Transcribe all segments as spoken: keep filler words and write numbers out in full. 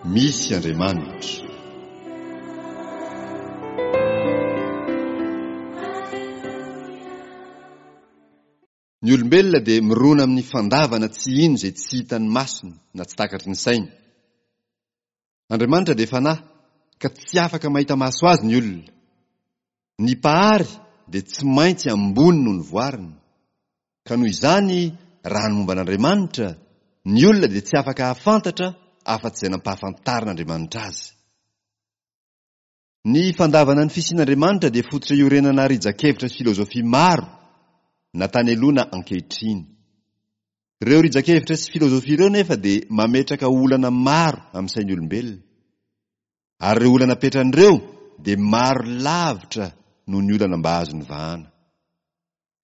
Misy Andriamanitra. Ny olombelona dia mirona amin'ny fandavana tsy hino izay tsy hitan'ny masony na tsy takatry ny sainy. Andriamanitra dia fanahy ka tsy afaka mahita maso azy ny olona. Ny Mpahary dia tsy maintsy ambony noho ny voariny. Ka noho izany, raha ny momba an'Andriamanitra, ny olona dia tsy afaka hahafantatra afa-tsy izay nampahafantarin'Andriamanitra azy. Ny fandavana ny fisian'Andriamanitra dia fototra iorenana rijan-kevitra sy filozofia maro, na tany aloha na ankehitriny. Ireo rijan-kevitra sy filozofia ireo nefa dia mametraka olana maro amin'ny sain'ny olombelona. Ary ireo olana apetrany ireo dia maro lavitra noho ny olana mba azony vahana.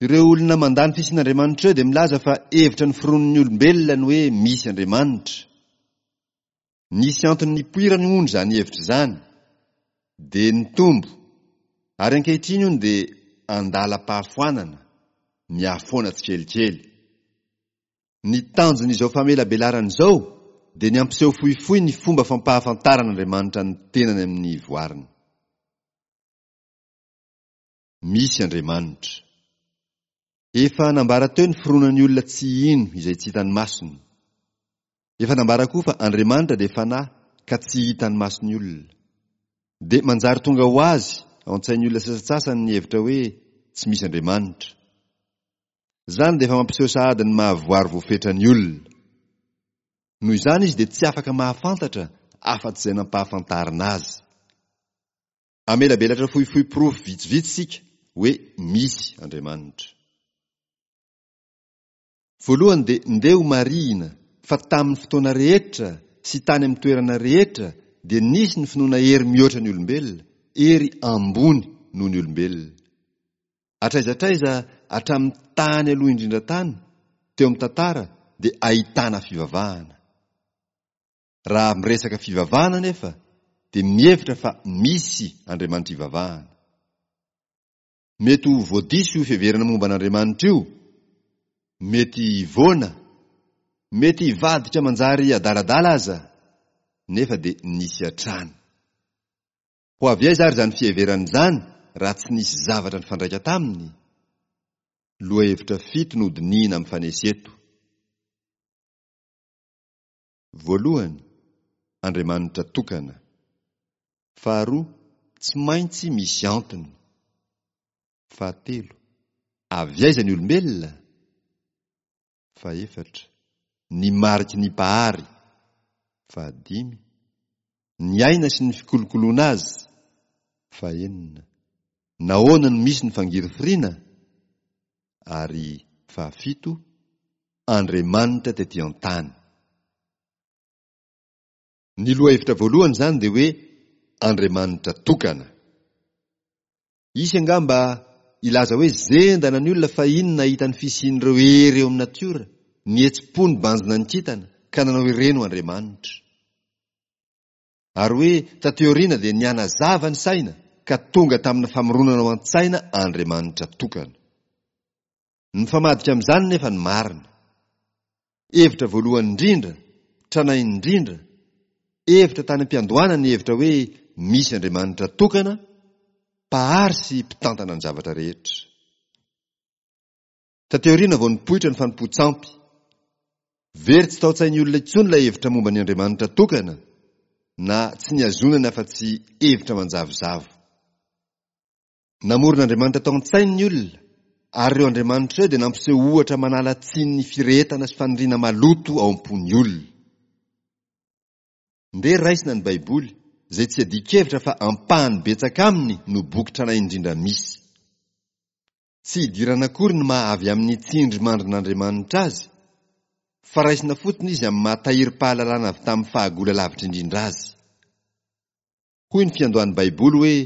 Ireo olona mandà ny fisian'Andriamanitra ireo dia milaza fa hevitra noforonin'ny olombelona ny hoe misy Andriamanitra. Nisy antony nipoirany hono izany hevitra izany, dia nitombo, ary ankehitriny hono dia andalam-pahafoanana, mihafoana tsikelikely. Ny tanjon'izao famelabelarana izao dia ny hampiseho fohifohy ny fomba fampahafantaran'Andriamanitra ny tenany amin'ny voariny. Misy Andriamanitra. Efa nambara teo ny fironan'ny olona tsy hino izay tsy hitan'ny masony. Efa nambara koa fa Andriamanitra dia fanahy ka tsy hitan'ny mason'ny olona. Dia manjary tonga ho azy ao an-tsain'ny olona sasantsasany ny hevitra hoe tsy misy Andriamanitra. Izany dia efa mampiseho sahady ny mahavoary voafetra ny olona. Noho izany izy dia tsy afaka mahafantatra afa-tsy izay nampahafantarina azy. Hamelabelatra fohifohy porofo vitsivitsy isika hoe misy Andriamanitra. Voalohany dia ndeha ho marihina fa tamin'ny fotoana rehetra sy tany amin'ny toerana rehetra dia nisy ny finoana hery mihoatra ny olombelona, hery ambony noho ny olombelona. Hatraiza hatraiza hatramin'ny tany aloha indrindra tany, teo amin'ny tantara dia ahitana fivavahana. Raha miresaka fivavahana anefa dia mihevitra fa misy Andriamanitra ivavahana. Mety ho voadiso io fiheverana momba an'Andriamanitra io, mety hivoana, mety hivadika manjary adaladala aza, nefa dia nisy hatrany. Ho avy aiza ary izany fiheverana izany raha tsy nisy zavatra nifandraika taminy? Lohahevitra fito no hodinihina mifanesy eto. Voalohany, Andriamanitra tokana. Faharoa, tsy maintsy misy antony. Fahatelo, avy aiza ny olombelona? Fahefatra, ny mariky ny Mpahary. Fahadimy, ny aina sy ny fikolokoloana azy. Fahenina, nahoana no misy ny fangirifiriana? Ary fahafito, Andriamanitra tety an-tany. Ny lohahevitra voalohany izany dia hoe Andriamanitra tokana. Hisy angamba hilaza hoe zendana ny olona fahiny nahita ny fisian'ireo hery eo amin'ny natiora, nihetsi-po nibanjina ny kintana ka nanao ireny ho andriamanitra. Ary hoe taty aoriana dia nihanazava ny saina ka tonga tamina famoronana ao an-tsaina andriamanitra tokana. Mifamadika amin'izany nefa ny marina. Hevitra voalohany indrindra, tranainy indrindra, hevitra tany am-piandohana ny hevitra hoe misy Andriamanitra tokana, Mpahary sy mpitantana ny zavatra rehetra. Taty aoriana vao nipoitra ny fanompoan-tsampy. Very tsy tao an-tsain'ny olona intsony ilay hevitra momba ny Andriamanitra tokana, na tsy nihazonany afa-tsy hevitra manjavozavo. Namorona andriamanitra tao an-tsainy ny olona, ary ireo andriamanitra ireo dia nampiseho ohatra manala tsiny ny firehetana sy faniriana maloto ao am-pon'ny olona. Ndeha raisina ny Baiboly, izay tsy iadian-kevitra fa ampahany betsaka aminy no boky tranainy indrindra misy. Tsy idirana akory ny maha avy amin'ny tsindrimandrin'Andriamanitra azy, fa raisina fotsiny izy amin'ny maha tahirim-pahalalana avy tamin'ny fahagola lavitra indrindra azy. Hoy ny fiandohan'ny Baiboly hoe,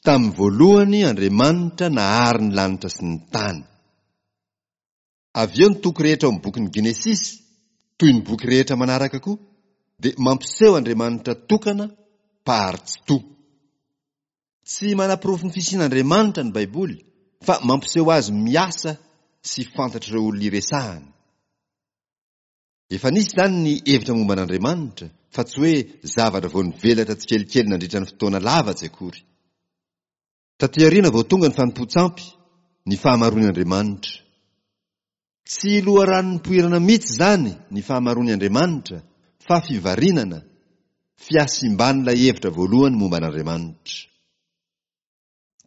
Tamin'ny voalohany Andriamanitra nahary ny lanitra sy ny tany. Avy eo ny toko rehetra ao amin'ny bokin'ny Genesisy, toy ny boky rehetra manaraka koa, dia mampiseho Andriamanitra tokana, Mpahary Tsitoha. Tsy manaporofo ny fisian'Andriamanitra ny Baiboly, fa mampiseho azy miasa sy fantatr'ireo olona iresahany. Efa nisy izany ny hevitra momba an'Andriamanitra, fa tsy hoe zavatra vao nivelatra tsikelikely nandritra ny fotoana lava tsy akory. Taty aoriana vao tonga ny fanompoan-tsampy, ny fahamaroan'ny Andriamanitra. Tsy loharano nipoirana mihitsy izany ny fahamaroan'ny Andriamanitra, fa fivarinana, fihasimban'ilay hevitra voalohany momba an'Andriamanitra.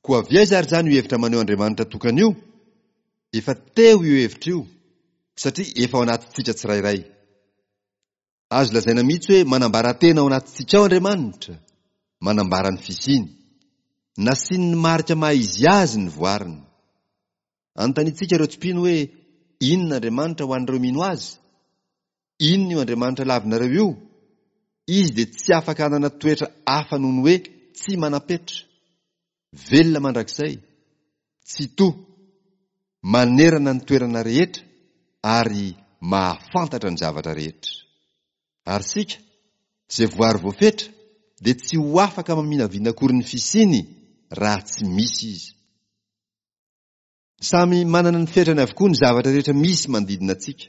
Koa avy aiza ary izany io hevitra maneho Andriamanitra tokana io? Efa teo io hevitra io, satria efa ao anatintsika tsirairay. Azo lazaina mihitsy hoe manambara tena ao anatintsika ao Andriamanitra, manambara ny fisiany. Nasiany ny marika maha izy azy ny voariny. Anontaniantsika ireo tsy mpino hoe inona Andriamanitra ho an'ireo mino azy? Inona io Andriamanitra lavinareo io? Izy dia tsy afaka hanana toetra hafa noho ny hoe tsy manam-petra, velona mandrakizay, tsitoha, manerana ny toerana rehetra ary mahafantatra ny zavatra rehetra. Ary isika, izay voary voafetra, dia tsy ho afaka maminavina akory ny fisiany raha tsy misy izy. Samy manana ny fetrany avokoa ny zavatra rehetra misy manodidina antsika.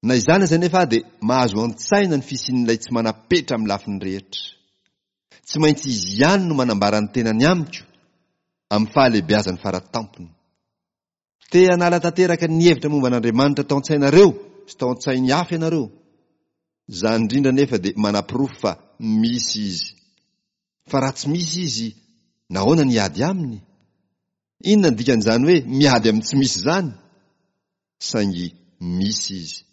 Na izany aza anefa dia mahazo an-tsaina ny fisian'ilay tsy manam-petra amin'ny lafiny rehetra. Tsy maintsy izy ihany no manambara ny tenany amiko amin'ny fahalehibeazany faratampony. Te hanala tanteraka ny hevitra momba an'Andriamanitra tao an-tsainareo sy tao an-tsain'ny hafa ianareo. Izany indrindra anefa dia manaporofo fa misy izy. Fa raha tsy misy izy, nahoana ny hiady aminy? Inona ny dikan'izany hoe miady amin'ny tsy misy izany? Saingy misy izy.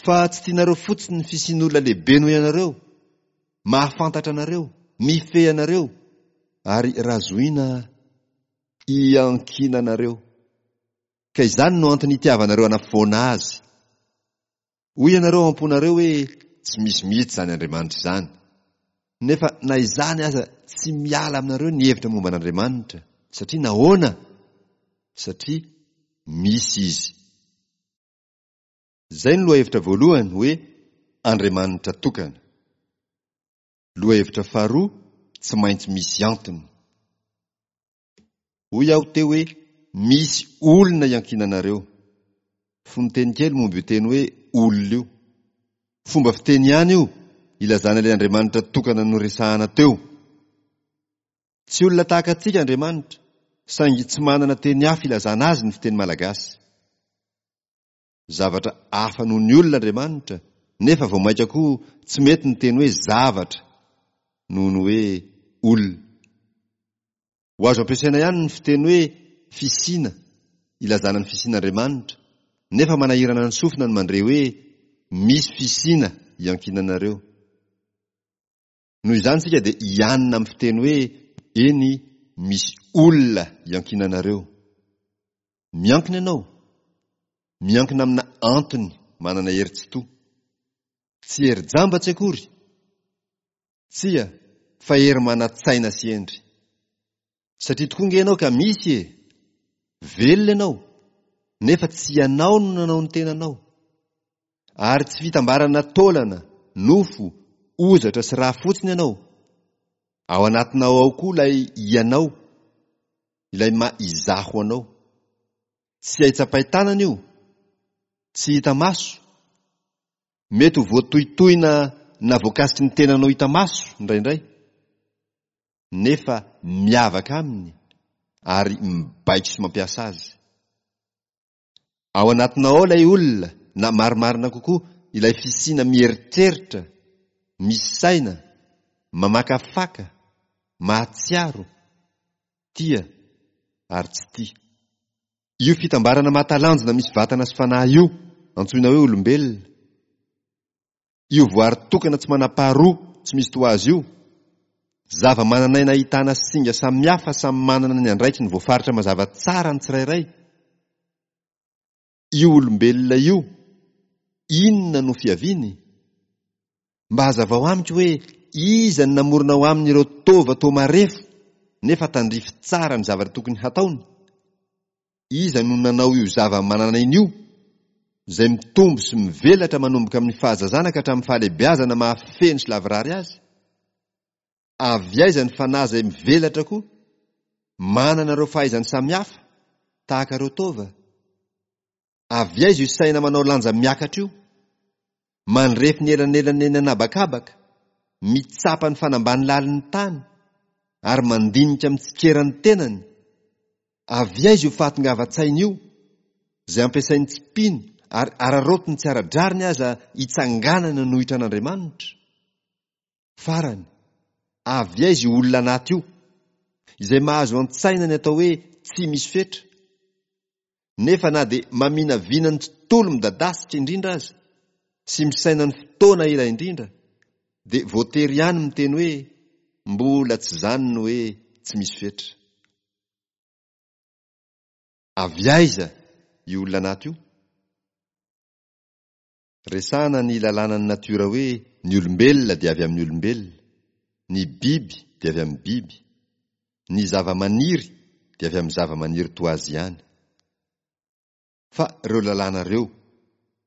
Fa tsy tianareo fotsiny ny fisian'olona lehibe noho ianareo, mahafantatra anareo, mifehy anareo, ary raha zohiana iankinanareo. Ka izany no antony itiavanareo hanafoana azy. Hoy ianareo ao am-ponareo hoe tsy misy mihitsy izany Andriamanitra izany. Nefa na izany aza tsy miala aminareo ny hevitra momba an'Andriamanitra. Satria nahoana? Satria misy izy. Izay no lohahevitra voalohany hoe Andriamanitra tokana. Lohahevitra faharoa, tsy maintsy misy antony. Hoy aho teo hoe misy olona iankinanareo. Fononteny kely momba io teny hoe olona io. Fomba fiteny ihany io ilazana ilay Andriamanitra tokana noresahana teo. Tsy olona tahaka antsika Andriamanitra, saingy tsy manana teny hafa ilazana azy ny fiteny malagasy. Zavatra hafa noho ny olona Andriamanitra, nefa vao mainka koa tsy mety ny teny hoe zavatra noho ny hoe olona. Ho azo ampiasaina ihany ny fiteny hoe fisiana ilazana ny fisian'Andriamanitra, nefa manahirana ny sofina ny mandre hoe misy fisiana iankinanareo. Noho izany isika dia hianina amin'ny fiteny hoe eny misy olona iankinanareo. Miankina ianao. Miankina amina antony manana hery tsy toha. Tsy hery jamba tsy akory. Tsia, fa hery manan-tsaina sy hendry. Satria tokoa nge ianao ka misy e! Velona ianao, nefa tsy ianao no nanao ny tenanao. Ary tsy fitambarana taolana, nofo, hozatra sy rà fotsiny ianao. Ao anatinao ao koa ilay ianao, ilay maha izaho anao. Tsy hay tsapain-tanana io, tsy hita maso. Mety ho voatohitohina na voakasiky ny tenanao hita maso indraindray, nefa miavaka aminy ary mibaiko sy mampiasa azy. Ao anatinao ao ilay olona, na marimarina kokoa ilay fisiana mieritreritra, misaina, mamakafaka, mahatsiaro, tia ary tsy tia. Io fitambarana mahatalanjona misy vatana sy fanahy io, antsoina hoe olombelona. Io voary tokana tsy manam-paharoa, tsy misy toa azy io. Zava-manan'aina ahitana singa samihafa samy manana ny andraikiny voafaritra mazava tsara ny tsirairay. Io olombelona io, inona no fiaviany? Mba hazavao amiko hoe iza no namorona ao aminy ireo taova toa marefo nefa tandrify tsara ny zavatra tokony hataony? Iza no nanao io zava-manan'aina io, izay mitombo sy mivelatra manomboka amin'ny fahazazana ka hatramin'ny fahalehibeazana mahafeno sy lavorary azy? Avy aiza ny fanahy izay mivelatra koa, manana ireo fahaizany samihafa, tahaka ireo taova? Avy aiza io saina manao lanja miakatra io? Mandrefy ny elanelana eny an'habakabaka, mitsapa ny fanambany lalin'ny tany, ary mandinika mitsikera ny tenany. Avy aiza io fahatongavan-tsaina io, izay ampiasain'ny tsy mpino ary araraotiny tsy ara-drariny aza hitsanganana hanohitra an'Andriamanitra? Farany, avy aiza io olona anaty io, izay mahazo an-tsaina ny atao hoe tsy misy fetra, nefa na dia maminavina ny tontolo midadasika indrindra aza sy misaina ny fotoana ela indrindra, dia voatery ihany miteny hoe mbola tsy izany ny hoe tsy misy fetra. Avy aiza io olona anaty io? Resahana ny lalànan'ny natiora hoe ny olombelona dia avy amin'ny olombelona, ny biby dia avy amin'ny biby, ny zava-maniry dia avy amin'ny zava-maniry toa azy ihany. Fa ireo lalàna ireo,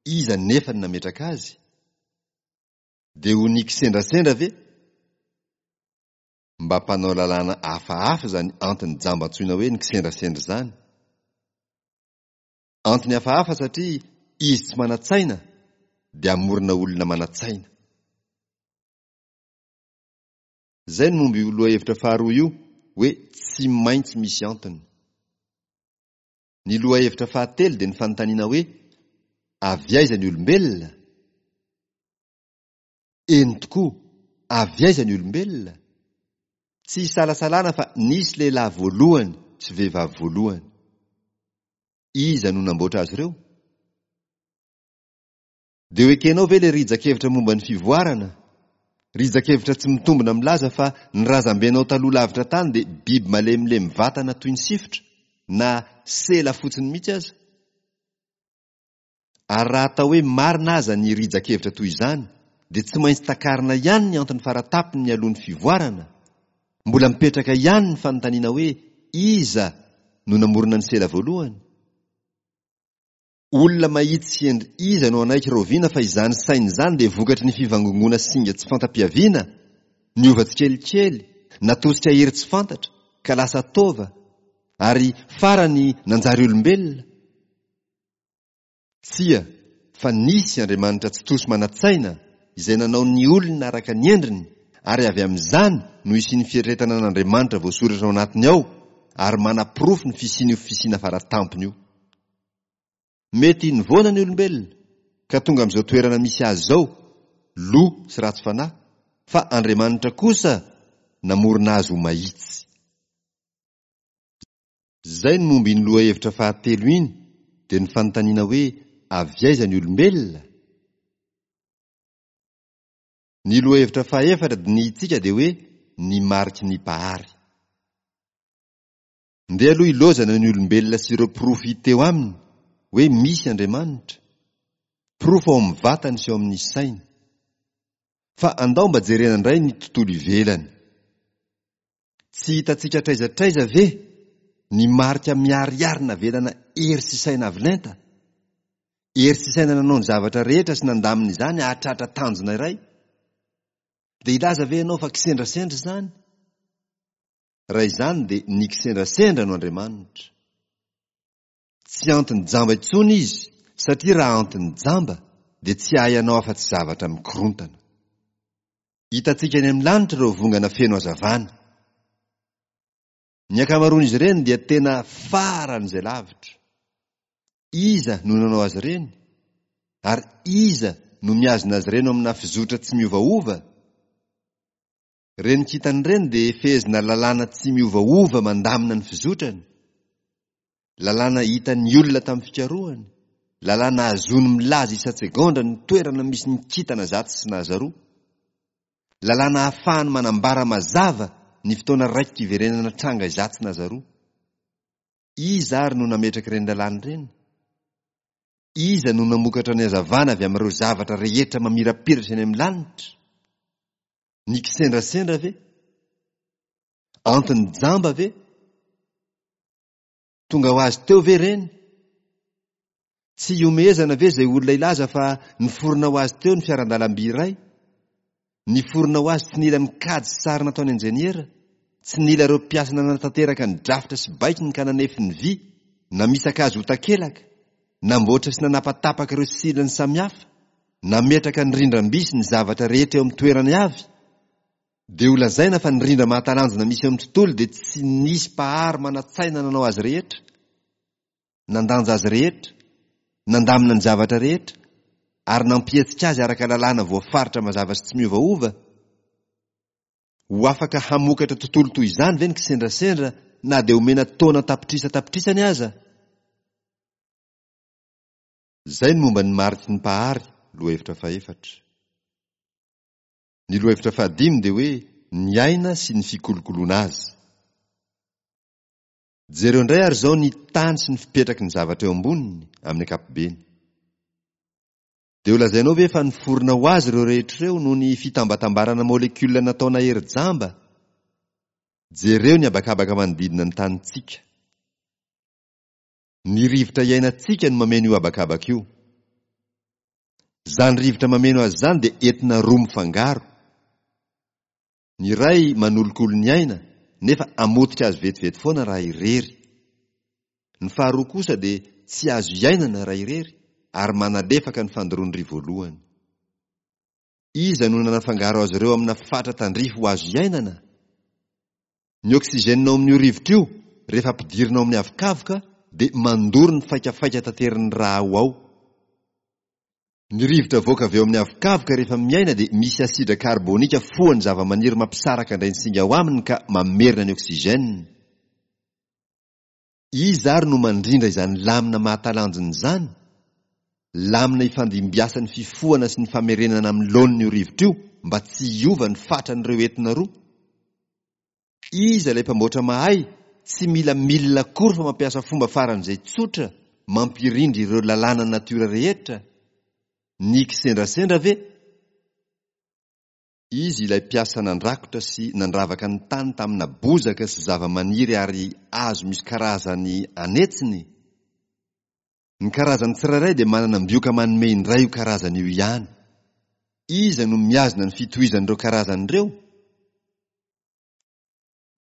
iza nefa no nametraka azy? Dia ho ny kisendrasendra ve? Mba mpanao lalàna hafahafa izany antony jamba antsoina hoe ny kisendrasendra izany. Antony hafahafa satria izy tsy manan-tsaina dia hamorona olona manan-tsaina. Izay no momba io lohahevitra faharoa io hoe tsy maintsy misy antony. Ny lohahevitra fahatelo dia ny fanontaniana hoe avy aiza ny olombelona? Eny tokoa, avy aiza ny olombelona? Tsy isalasalana fa nisy lehilahy voalohany sy vehivavy voalohany. Iza no namboatra azy ireo? Dia ho ekenao ve ilay rijan-kevitra momba ny fivoarana? Rijan-kevitra tsy mitombina milaza fa ny razambenao taloha lavitra tany dia biby malemilemy vatana toy ny sifotra, na sela fotsiny mihitsy aza. Ary raha atao hoe marina aza ny rijan-kevitra toy izany, dia tsy maintsy takarina ihany ny antony faratapony mialoha ny fivoarana. Mbola mipetraka ihany ny fanontaniana hoe iza no namorona ny sela voalohany? Olona mahitsy sy hendry iza no hanaiky rahoviana fa izany saina izany dia vokatry ny fivangongoana singa tsy fanta-piaviana, niova tsikelikely, natosika hery tsy fantatra, ka lasa taova, ary farany nanjary olombelona? Tsia, fa nisy Andriamanitra Tsitoha sy manan-tsaina, izay nanao ny olona araka ny endriny, ary avy amin'izany no hisian'ny fieritreretana an'Andriamanitra voasoratra ao anatiny ao, ary manaporofo ny fisian'io fisiana fara-tampony io. Mety nivoana ny olombelona, ka tonga amin'izao toerana misy azy izao, lo sy ratsy fanahy, fa Andriamanitra kosa namorona azy ho mahitsy. Izay no momba iny lohahevitra fahatelo iny, dia ny fanontaniana hoe avy aiza ny olombelona? Ny lohahevitra fahefatra dinihintsika dia hoe ny mariky ny Mpahary. Ndeha aloha ilozana ny olombelona sy ireo porofo hita eo aminy hoe misy Andriamanitra, porofo ao amin'ny vatany sy ao amin'ny sainy. Fa andao mba jerena indray ny tontolo ivelany. Tsy hitantsika hatraiza hatraiza ve ny marika miharihary navelana hery sy saina avo lenta? Hery sy saina nanao ny zavatra rehetra sy nandamina izany hahatratra tanjona iray? Dia hilaza ve ianao fa kisendrasendra izany? Raha izany dia ny kisendrasendra no Andriamanitra. Tsy antony jamba intsony izy satria raha antony jamba dia tsy hahay hanao afa-tsy zavatra mikorontana. Hitantsika eny amin'ny lanitra ireo vongana feno hazavana. Ny ankamaroan'izy ireny dia tena faran'izay lavitra. Iza no nanao azy ireny? Ary iza no mihazona azy ireny ao amina fizotra tsy miovaova? Ireny kintana ireny dia fehezina lalàna tsy miovaova mandamina ny fizotrany. Lalàna hitan'ny olona tamin'ny fikarohany, lalàna ahazoany milaza isan-tsegondra ny toerana misy ny kintana zato sy nazaroa, lalàna ahafahany manambara mazava ny fotoana raikitra iverenana tranga izatsy nazaroa. Iza ary no nametraka ireny lalàna ireny? Iza no namokatra ny hazavana avy amin'ireo zavatra rehetra mamirapiratra eny amin'ny lanitra? Ny kisendrasendra ve? Antony jamba ve? Tonga ho azy teo ve ireny? Tsy ihomehezana ve izay olona hilaza fa niforona ho azy teo ny fiaran-dalamby iray? Niforona ho azy tsy nila ny kajy sy sary nataon'ny injeniera, tsy nila ireo mpiasa nanatanteraka ny drafitra sy baikony ka nanefy ny vy, namisaka azy ho takelaka, namboatra sy nanapatapaka ireo silany samihafa, Nametraka ny rindram-by sy ny zavatra rehetra eo amin'ny toerany avy? Dia ho lazaina fa ny rindra mahatalanjona misy eo amin'ny tontolo dia tsy nisy mpahary manan-tsaina nanao azy rehetra, nandanja azy rehetra, nandamina ny zavatra rehetra, ary nampihetsika azy araka lalàna voafaritra mazava sy tsy miovaova? Ho afaka hamokatra tontolo toy izany ve ny kisendrasendra na dia omena taona tapitrisa tapitrisany aza? Izay ny momba ny mariky ny mpahary, lohahevitra fahefatra. Ny lohahevitra fahadimy dia hoe ny aina sy ny fikolokoloana azy. Jereo indray ary izao ny tany sy ny fipetraky ny zavatra eo amboniny amin'ny ankapobeny. Dia ho lazainao ve fa niforona ho azy ireo rehetra ireo noho ny fitambatambarana molekiola nataona hery jamba? Jereo ny habakabaka manodidina ny tanintsika. Ny rivotra iainantsika no mameno io habakabaka io. Izany rivotra mameno azy izany dia entina roa mifangaro. Ny iray manolokolo ny aina nefa hamotika azy vetivety foana raha irery. Ny faharoa kosa dia tsy azo iainana raha irery ary manalefaka ny fandoroan'ny voalohany. Iza no nanafangaro azy ireo amina fatra tandrify ho azo iainana? Ny oxygène ao amin'io rivotra io, rehefa ampidirina ao amin'ny avokavoka, dia mandoro ny faikafaika taterin'ny rà ao ao. Ny rivotra avoaka avy eo amin'ny avokavoka rehefa miaina dia misy asidra karbonika fohan'ny zavamaniry mampisaraka indray ny singa ao aminy ka mamerina ny oxygène. Iza ary no mandrindra izany lamina mahatalanjona izany? Lamina ifandimbiasan'ny fifohana sy ny famerenana amin'ny laoniny io rivotra io mba tsy hiova ny fatran'ireo entina roa. Iza ilay mpamboatra mahay tsy mila milina akory fa mampiasa fomba faran'izay tsotra mampirindra ireo lalàna natiora rehetra? Ny kisendrasendra ve? Izy ilay mpiasa nandrakotra sy nandravaka ny tany tamina bozaka sy zavamaniry ary hazo misy karazany anetsiny. Ny karazany tsirairay dia manana ambioka manome indray io karazany io ihany. Iza no mihazona ny fitohizan'ireo karazany ireo?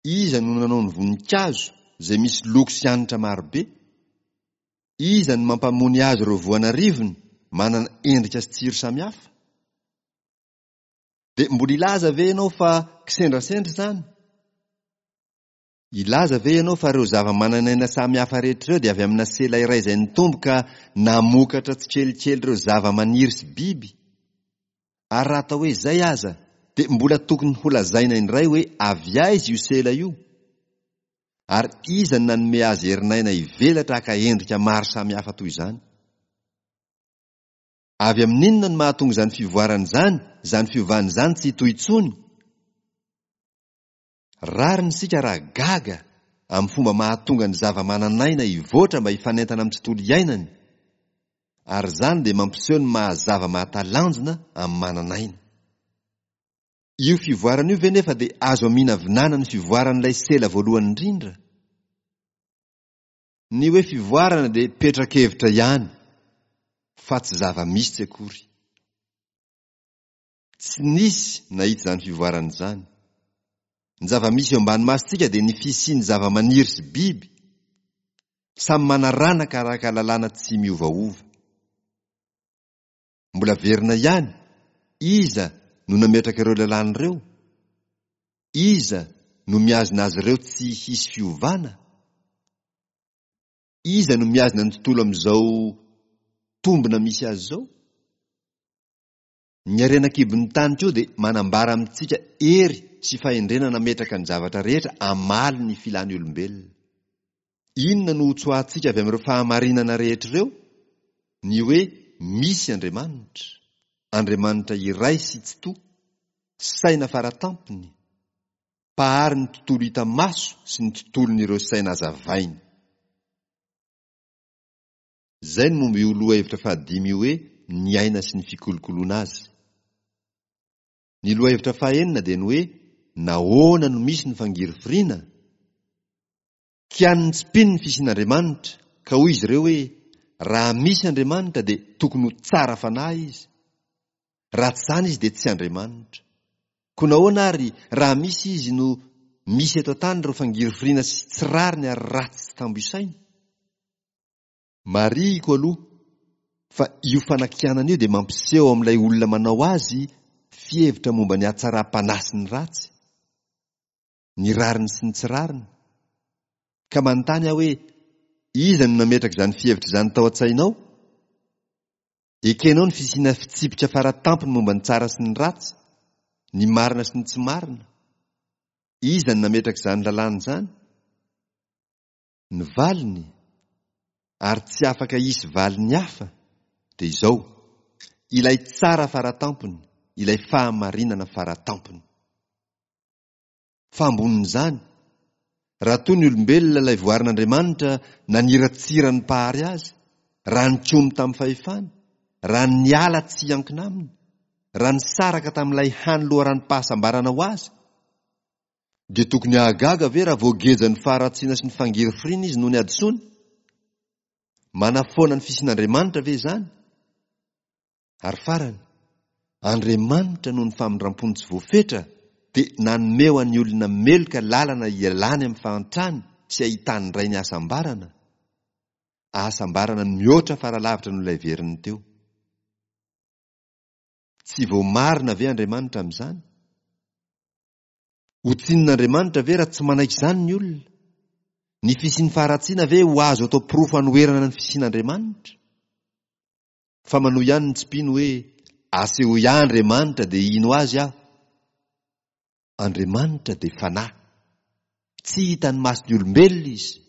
Iza no nanao ny voninkazo izay misy loko sy hanitra marobe? Iza no mampamony azy ireo voanarivony manana endrika sy tsiro samihafa? Dia mbola hilaza ve ianao fa kisendrasendra izany? Hilaza ve ianao fa ireo zava-manan'aina samihafa rehetra ireo dia avy amina sela iray izay nitombo ka namokatra tsikelikely ireo zava-maniry sy biby? Ary raha atao hoe izay aza, dia mbola tokony holazaina indray hoe avy aiza io sela io? Ary iza no nanome azy herin'aina hivelatra haka endrika maro samihafa toy izany? Avy amin'inona no mahatonga izany fivoarana izany, izany fiovana izany tsy hitohy intsony? Rariny isika raha gaga amin'ny fomba mahatonga ny zava-manan'aina hivoatra mba hifanentana amin'ny tontolo iainany, ary izany dia mampiseho ny maha zava-mahatalanjona amin'ny manan'aina. Io fivoarana io ve nefa dia azo aminavinana ny fivoaran'ilay sela voalohany indrindra? Ny hoe fivoarana dia petra-kevitra ihany fa tsy zava-misy tsy akory. Tsy nisy nahita izany fivoarana izany. Ny zava-misy eo ambany masontsika dia ny fisian'ny zava-maniry sy biby, samy manaranaka araka lalàna tsy miovaova. Mbola verina ihany, iza no nametraka ireo lalàna ireo? Iza no mihazona azy ireo tsy hisy fiovana? Iza no mihazona ny tontolo amin'izao tombona misy azy izao? Ny harena an-kibon'ny tany koa dia manambara amintsika hery sy fahendrena nametraka ny zavatra rehetra hamaly ny filan'ny olombelona. Inona no hotsoahantsika avy amin'ireo fahamarinana rehetra ireo? Ny hoe misy Andriamanitra, Andriamanitra iray sy tsitoha, saina faratampony, mpahary ny tontolo hita maso sy ny tontolon'ireo saina hazavainy. Izay no momba io lohahevitra fahadimy io hoe ny aina sy ny fikolokoloana azy. Ny lohahevitra fahenina dia ny hoe nahoana no misy ny fangirifiriana? Kianin'ny tsy mpino ny fisian'Andriamanitra ka hoy izy ireo hoe raha misy Andriamanitra dia tokony ho tsara fanahy izy. Raha tsy izany izy dia tsy Andriamanitra. Koa nahoana ary raha misy izy no misy eto an-tany ireo fangirifiriana sy tsy rariny ary ratsy tsy tambo isaina? Marihiko aloha Fa io fanakianana io dia mampiseho ao amin'ilay olona manao azy fihevitra momba ny hatsaram-panahy sy ny ratsy, ny rariny sy ny tsy rariny. Ka manontany aho hoe, iza no nametraka izany fihevitra izany tao an-tsainao? Ekenao ny fisiana fitsipika faratampony momba ny tsara sy ny ratsy, ny marina sy ny tsy marina. Iza no nametraka izany lalàna izany? Ny valiny, ary tsy afaka hisy valiny hafa, dia izao, ilay tsara faratampony, ilay fahamarinana faratampony. Fa ambonin'izany, raha toa ny olombelona ilay voarin'Andriamanitra naniratsira ny Mpahary azy, raha nikomy tamin'ny fahefany, raha niala tsy hiankina aminy, raha nisaraka tamin'ilay hany loharanom-pahasambarana ho azy, dia tokony hahagaga ve raha voagejan'ny faharatsiana sy ny fangirifiriana izy noho ny hadisoany? Manafoana ny fisian'Andriamanitra ve izany? Ary farany, Andriamanitra noho ny famindrampony tsy voafetra dia nanome ho an'ny olona meloka lalana hialany amin'ny fahantrany sy hahitany indray ny hasambarana, hasambarana mihoatra faralavitra noho ilay veriny teo. Tsy voamarina ve Andriamanitra amin'izany? Ho tsinin'Andriamanitra ve raha tsy manaiky izany ny olona? Ny fisian'ny faharatsiana ve ho azo atao porofo hanoherana ny fisian'Andriamanitra? Fa manohy ihany ny tsy mpino hoe, asehoy ahy Andriamanitra dia hino azy aho. Andriamanitra dia fanahy. Tsy hitan'ny mason'ny olombelona izy.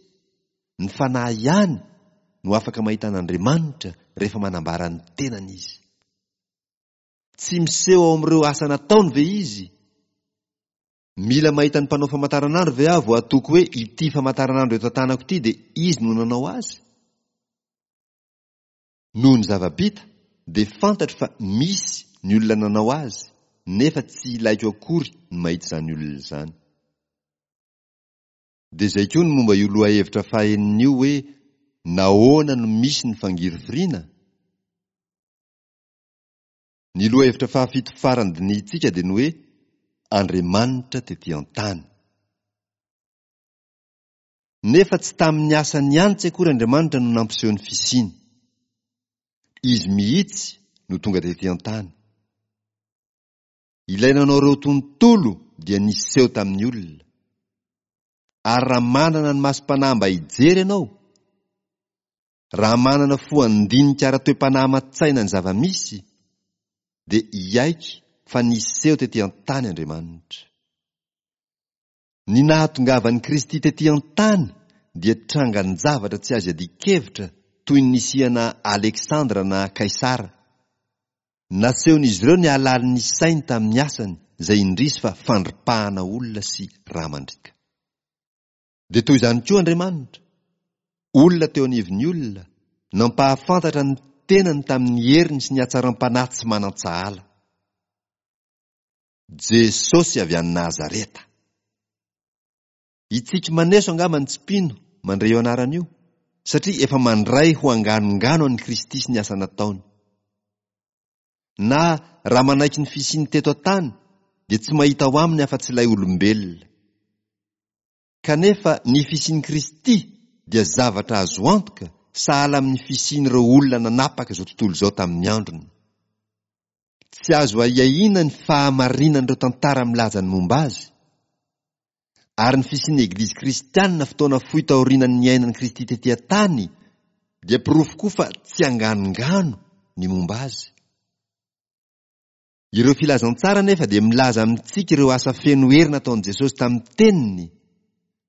Ny fanahy ihany no afaka mahita an'Andriamanitra rehefa manambara ny tenany izy. Tsy miseho ao amin'ireo asa nataony ve izy? Mila mahita ny mpanao famantaranandro ve aho vao hatoky hoe ity famantaranandro eto an-tanako ity dia izy no nanao azy? Noho ny zava-bita dia fantatro fa misy ny olona nanao azy, nefa tsy ilaiko akory ny mahita izany olona izany. Dia izay koa ny momba io lohahevitra fahenina io hoe nahoana no misy ny fangirifiriana? Ny lohahevitra fahafito farany dinihintsika dia ny hoe Andriamanitra tetỳ an-tany. Nefa tsy tamin'ny asany ihany tsy akory Andriamanitra no nampiseho ny fisiany. Izy mihitsy no tonga tetỳ an-tany. Ilay nanao ireo tontolo dia niseho tamin'ny olona. Ary raha manana ny masom-panahy mba hijery ianao, raha manana fo handinika ara-toe-panahy aman-tsaina ny zava-misy, dia hiaiky fa niseho tetỳ an-tany Andriamanitra. Ny nahatongavan'i Kristy tetỳ an-tany dia trangan-javatra tsy azo iadian-kevitra toy ny nisiana Aleksandra na Kaisara. Nasehon'izy ireo ny halalin'ny sainy tamin'ny asany izay indrisy fa fandripahana olona sy rà mandriaka. Dia toy izany koa Andriamanitra, olona teo anivon'ny olona, nampahafantatra ny tenany tamin'ny heriny sy ny hatsaram-panahy tsy manan-tsahala. Jesosy avy any Nazareta. Hitsiky maneso angamba ny tsy mpino mandre io anarana io, satria efa mandray ho anganongano an'i Kristy sy ny asa nataony. Na raha manaiky ny fisiany teto an-tany, dia tsy mahita ao aminy afa-tsy ilay olombelona. Kanefa ny fisian'i Kristy dia zavatra azo antoka sahala amin'ny fisian'ireo olona nanapaka izao tontolo izao tamin'ny androny. Tsy azo ahiahiana ny fahamarinan'ireo tantara milaza ny momba azy. Ary ny fisian'ny Eglizy kristianina fotoana fohy taorian'ny niainan'i Kristy tetỳ an-tany dia porofo koa fa tsy anganongano ny momba azy. Ireo filazantsara anefa dia milaza amintsika ireo asa feno hery nataon'i Jesosy tamin'ny teniny,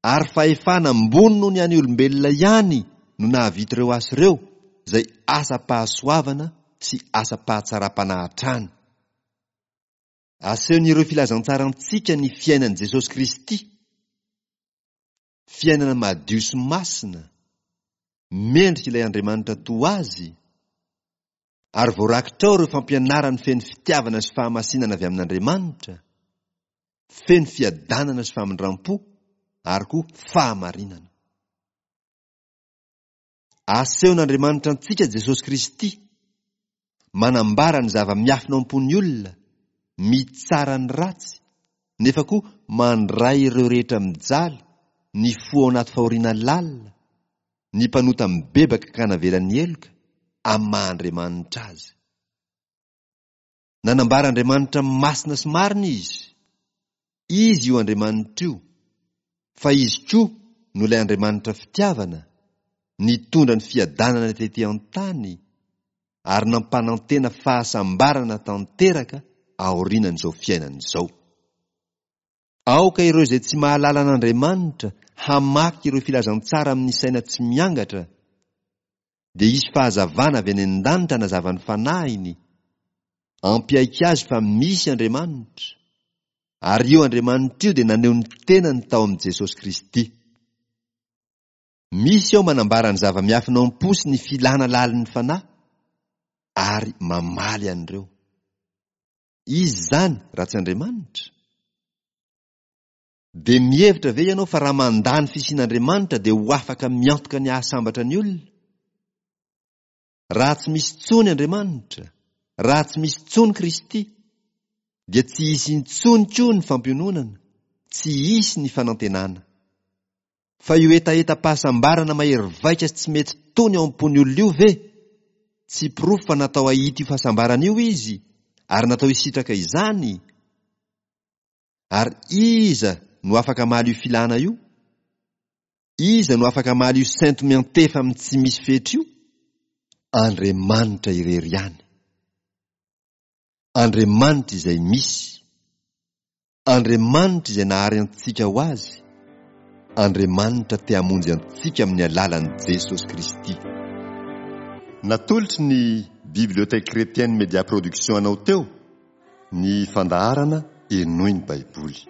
ary fahefana ambony noho ny an'ny olombelona ihany no nahavita ireo asa ireo, izay asam-pahasoavana sy asam-pahatsaram-panahy hatrany. Asehon'ireo filazantsara antsika ny fiainan'i Jesosy Kristy, fiainana madio sy masina, mendrika ilay Andriamanitra toa azy, ary voarakitra ao ireo fampianarany feno fitiavana sy fahamasinana avy amin'Andriamanitra, feno fiadanana sy famindram-po ary koa fahamarinana. Asehon'Andriamanitra antsika Jesosy Kristy, manambara ny zava-miafina ao am-pon'ny olona, mitsara ny ratsy, nefa koa mandray ireo rehetra mijaly, ny fo ao anaty fahoriana lalina, ny mpanota mibebaka ka navela ny heloka, amin'ny maha Andriamanitra azy. Nanambara Andriamanitra masina sy marina izy. Izy io Andriamanitra io, fa izy koa no ilay Andriamanitra fitiavana, nitondra ny fiadanana tety an-tany ary nampanantena fahasambarana tanteraka aorianan'izao fiainana izao. Aoka ireo izay tsy mahalala an'Andriamanitra hamaky ireo filazantsara amin'ny saina tsy miangatra, dia hisy fahazavana avy any an-danitra hanazava ny fanahiny, ampiaiky azy fa misy Andriamanitra, ary io Andriamanitra io dia naneho ny tenany tao amin'i Jesosy Kristy. Misy ao manambara ny zava-miafina ao am-po sy ny filana lalin'ny fanahy ary mamaly an'ireo. Izy izany raha tsy Andriamanitra? Dia mihevitra ve ianao fa raha mandà ny fisian'Andriamanitra dia ho afaka miantoka ny hahasambatra ny olona? Raha tsy misy intsony Andriamanitra, raha tsy misy intsony Kristy, dia tsy hisy intsony koa ny fampiononana, tsy hisy ny fanantenana. Fa io hetahetam-pahasambarana mahery vaika sy tsy mety tony ao am-pon'ny olona io ve? Tsy porofo fa natao hahita io fahasambarana io izy ary natao hisitraka izany? Ary iza no afaka hamaly io filana io? Iza no afaka hamaly io sento miantefa amin'ny tsy misy fetra io? Andriamanitra irery ihany. Andriamanitra izay misy. Andriamanitra izay nahary antsika ho azy. Andriamanitra te hamonjy antsika amin'ny alalan'i Jesosy Kristy. Natolotry ny Bibliothèque Chrétienne Média Production anao teo ny fandaharana Henoy ny Baiboly.